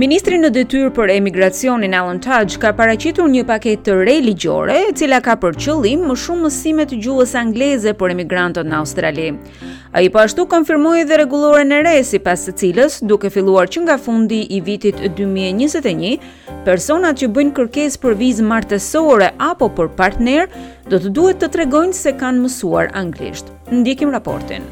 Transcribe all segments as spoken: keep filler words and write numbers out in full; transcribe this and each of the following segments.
Ministri në detyrë për emigracionin, Alan Tudge, ka paraqitur një paketë të re ligjore, e cila ka për qëllim më shumë mësime të gjuhës angleze për emigrantët në Australi. Ai po ashtu konfirmoi edhe rregulloren e re, sipas së cilës, duke filluar që nga fundi i vitit dy mijë e njëzet e një, personat që bëjnë kërkesë për vizë martesore apo për partner do të duhet të tregojnë se kanë mësuar anglisht. Ndjekim raportin.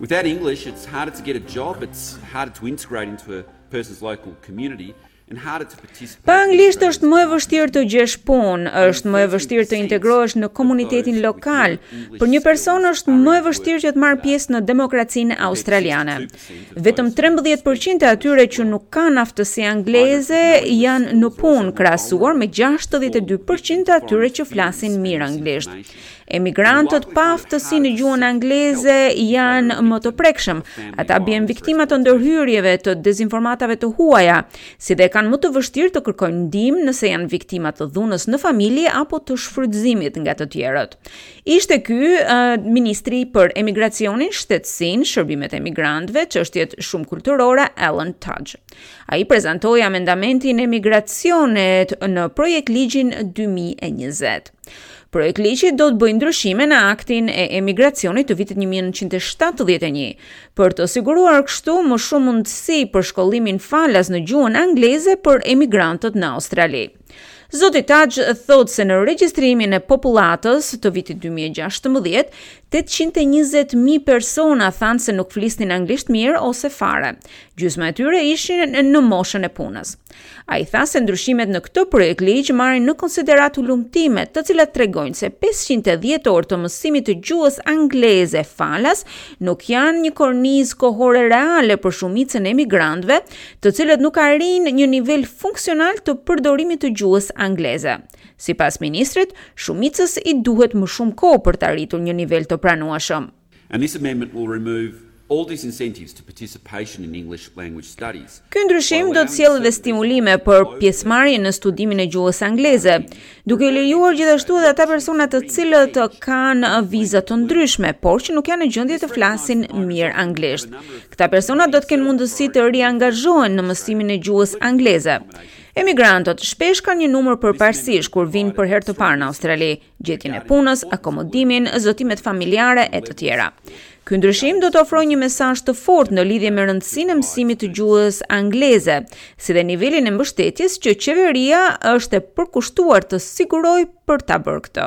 Without English, it's harder to get a job, it's harder to integrate into a person's local community and harder to participate. Pa anglisht është më e vështirë të gjesh punë, është më e vështirë të integrohesh në komunitetin lokal. Për një person është më e vështirë që të marrë pjesë në demokracinë australiane. Vetëm trembëdhjetë përqind e atyre që nuk kanë aftësi angleze janë në punë, krahasuar me gjashtëdhjetë e dy përqind të atyre që flasin mirë anglisht. Emigrantët pa aftësi në gjuhën angleze janë më të prekshëm. Ata bien viktima të ndërhyrjeve të dezinformatave të huaja, si dhe kanë më të vështirë të kërkojnë ndihmë nëse janë viktima të dhunës në familje apo të shfrytëzimit nga të tjerët. Ishte ky uh, ministri për emigracionin, shtetësinë, shërbimet e emigrantëve, çështjet shumë kulturore, Alan Tudge. Ai prezantoi amendamentin e emigracionit në projekt ligjin dy mijë e njëzet. Projektligji do të bëjë ndryshime në aktin e emigracionit të vitit një mijë e nëntëqind e shtatëdhjetë e një, për të siguruar kështu më shumë mundësi për shkollimin falas në gjuhën angleze për emigrantët në Australi. Zoti Tudge thotë se në regjistrimin e popullatës të vitit dy mijë e gjashtëmbëdhjetë, tetëqind e njëzet mijë persona thanë se nuk flisnin anglisht mirë ose fare. Gjysma e tyre ishin në moshën e punës. Ai tha se ndryshimet në këtë projekt ligj marrin në konsideratë hulumtimet, të cilat tregojnë se pesëqind e dhjetë orë të mësimit të gjuhës angleze falas nuk janë një kornizë kohore reale për shumicën e emigrantëve, të cilët nuk arrijnë një nivel funksional të përdorimit të gjuhës angleze. Sipas ministrit, shumicës i duhet më shumë kohë për të arritur një nivel të pranueshëm. And this amendment will remove all disincentives to participation in English language studies. Ky ndryshim do të sjellë edhe stimulime për pjesëmarrjen në studimin e gjuhës angleze, duke lejuar gjithashtu edhe ata persona të cilët kanë viza të ndryshme, por që nuk janë në gjendje të flasin mirë anglisht. Këta persona do të kenë mundësi të riangazhohen në mësimin e gjuhës angleze. Emigrantët shpesh kanë një numër përparësish kur vinë për herë të parë në Australi, gjetjen e punës, akomodimin, zotimet familjare e të tjera. Ky ndryshim do të ofrojë një mesazh të fortë në lidhje me rëndësinë e mësimit të gjuhës angleze, si dhe nivelin e mbështetjes që qeveria është e përkushtuar të sigurojë për ta bërë këtë.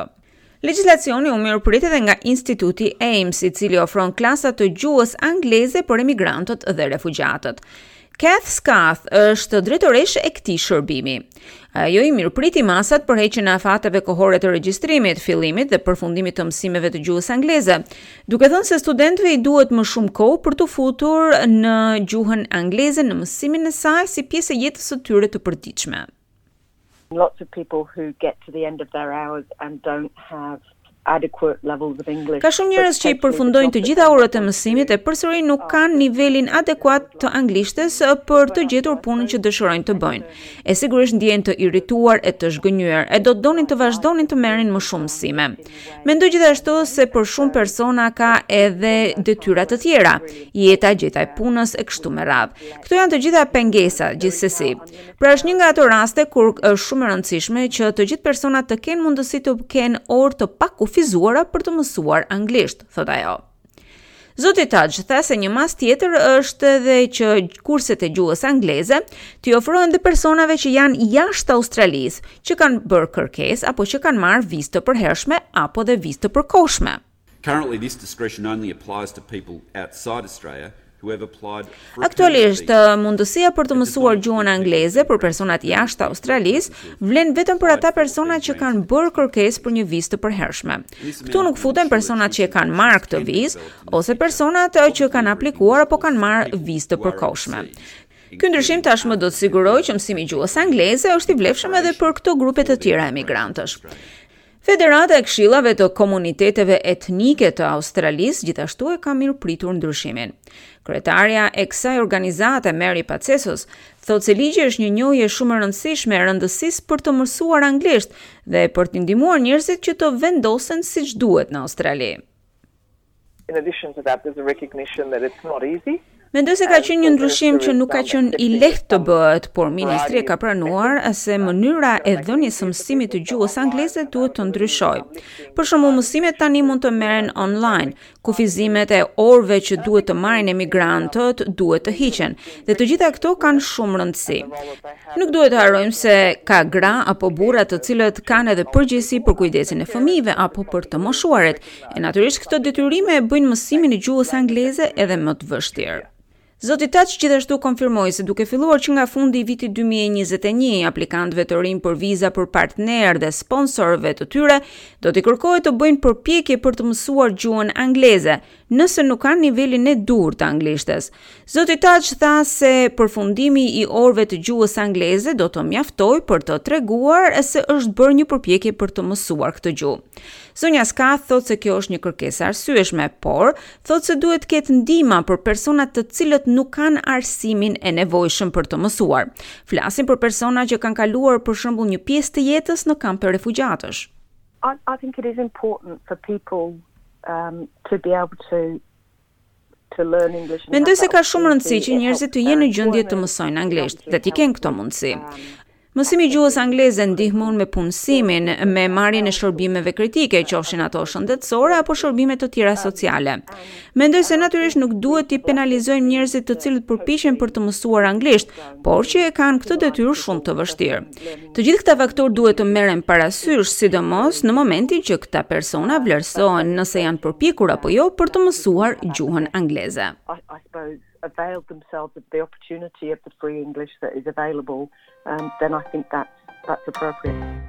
Legjislacioni u mirëprit edhe nga Instituti AMES, i cili ofron klasa të gjuhës angleze për emigrantët dhe refugjatët. Kath Skath është drejtoreshë e këtij shërbimi. Ajo i mirëpriti masat për heqjen e afateve kohore të regjistrimit, fillimit dhe përfundimit të mësimeve të gjuhës angleze, duke thënë se studentëve i duhet më shumë kohë për të futur në gjuhën angleze në mësimin e saj si pjesë e jetës së tyre të përditshme. Lots of people who get to the end of their hours and don't have adequate levels of English. Ka shumë njerëz që i përfundojnë të gjitha orët e mësimit e përsëri nuk kanë nivelin adekuat të anglishtes për të gjetur punën që dëshirojnë të bëjnë. E sigurisht ndjehen të irrituar e të zhgënjyer, e do të donin të vazhdonin të merrin më shumë mësime. Mendoj gjithashtu se për shumë persona ka edhe detyra të tjera, jeta, gjeta e punës e kështu me radhë. Këto janë të gjitha pengesa gjithsesi. Pra, është një nga ato raste kur është shumë e rëndësishme që të gjithë personat të kenë mundësi të kenë orë të pakufizuara për të mësuar anglisht, thot ajo. Zoti Tudge tha se një mas tjetër është edhe që kurset e gjuhës angleze t'i ofrohen dhe personave që janë jashtë Australisë, që kanë bërë kërkesë apo që kanë marrë vizë të përhershme apo dhe vizë të përkohshme. Currently, this discretion only applies to people outside Australia who have applied for a Aktualisht, permanent visa. mundësia për të mësuar gjuhën angleze për personat jashtë Australisë vlen vetëm për ata persona që kanë bërë kërkesë për një vizë të përhershme. Këtu nuk futen personat që e kanë marrë këtë vizë ose personat që kanë aplikuar apo kanë marrë vizë të përkohshme. Ky ndryshim tashmë do të sigurojë që mësimi i gjuhës angleze është i vlefshëm edhe për këto grupe të tjera emigrantësh. Federata e Këshillave të Komuniteteve Etnike të Australisë gjithashtu e ka mirëpritur ndryshimin. Kryetarja e kësaj organizate, Mary Patetsos, thotë se ligji është një njohje shumë e rëndësishme e rëndësisë për të mësuar anglisht dhe për të ndihmuar njerëzit që të vendosen siç duhet në Australi. In addition to that, there's a recognition that it's not easy. Mendoj se ka qenë një ndryshim që nuk ka qenë i lehtë të bëhet, por ministri e ka pranuar se mënyra e dhënies së mësimit të gjuhës angleze duhet të ndryshojë. Për shembull, mësimet tani mund të merren online, kufizimet e orëve që duhet të marrin emigrantët duhet të hiqen, dhe të gjitha këto kanë shumë rëndësi. Nuk duhet të harrojmë se ka gra apo burra të cilët kanë edhe përgjegjësi për kujdesin e fëmijëve apo për të moshuarit, e natyrisht këto detyrime e bëjnë mësimin e gjuhës angleze edhe më të vështirë. Zoti Tudge gjithashtu konfirmoi se duke filluar që nga fundi i vitit dy mijë e njëzet e një, aplikantëve të rinj për viza për partner dhe sponsorëve të tyre do t'i kërkohet të bëjnë përpjekje për të mësuar gjuhën angleze, nëse nuk kanë nivelin e duhur të anglishtes. Zoti Tudge tha se përfundimi i orëve të gjuhës angleze do të mjaftojë për të treguar se është bërë një përpjekje për të mësuar këtë gjuhë. Zonja Scath thotë se kjo është një kërkesë arsyeshme, por thotë se duhet të ketë ndihma për personat të cilët nuk kanë arsimin e nevojshëm për të mësuar. Flasim për persona që kanë kaluar, për shembull, një pjesë të jetës në kampe refugjatësh. I, I think it is important for people um, to be able to to learn English. Mendoj se ka shumë rëndësi që njerëzit të jenë në gjendje të mësojnë anglisht dhe t'i kenë këto mundësi. Mësimi i gjuhës angleze ndihmon me punësimin, me marrjen e shërbimeve kritike, qofshin ato shëndetësore apo shërbime të tjera sociale. Mendoj se natyrisht nuk duhet t'i penalizojmë njerëzit të cilët përpiqen për të mësuar anglisht, por që e kanë këtë detyrë shumë të vështirë. Të gjithë këta faktorë duhet të merren parasysh, sidomos në momentin që këta persona vlerësohen nëse janë përpjekur apo jo për të mësuar gjuhën angleze. I, I suppose availed themselves of the opportunity of the free English that is available, um, then I think that's, that's appropriate.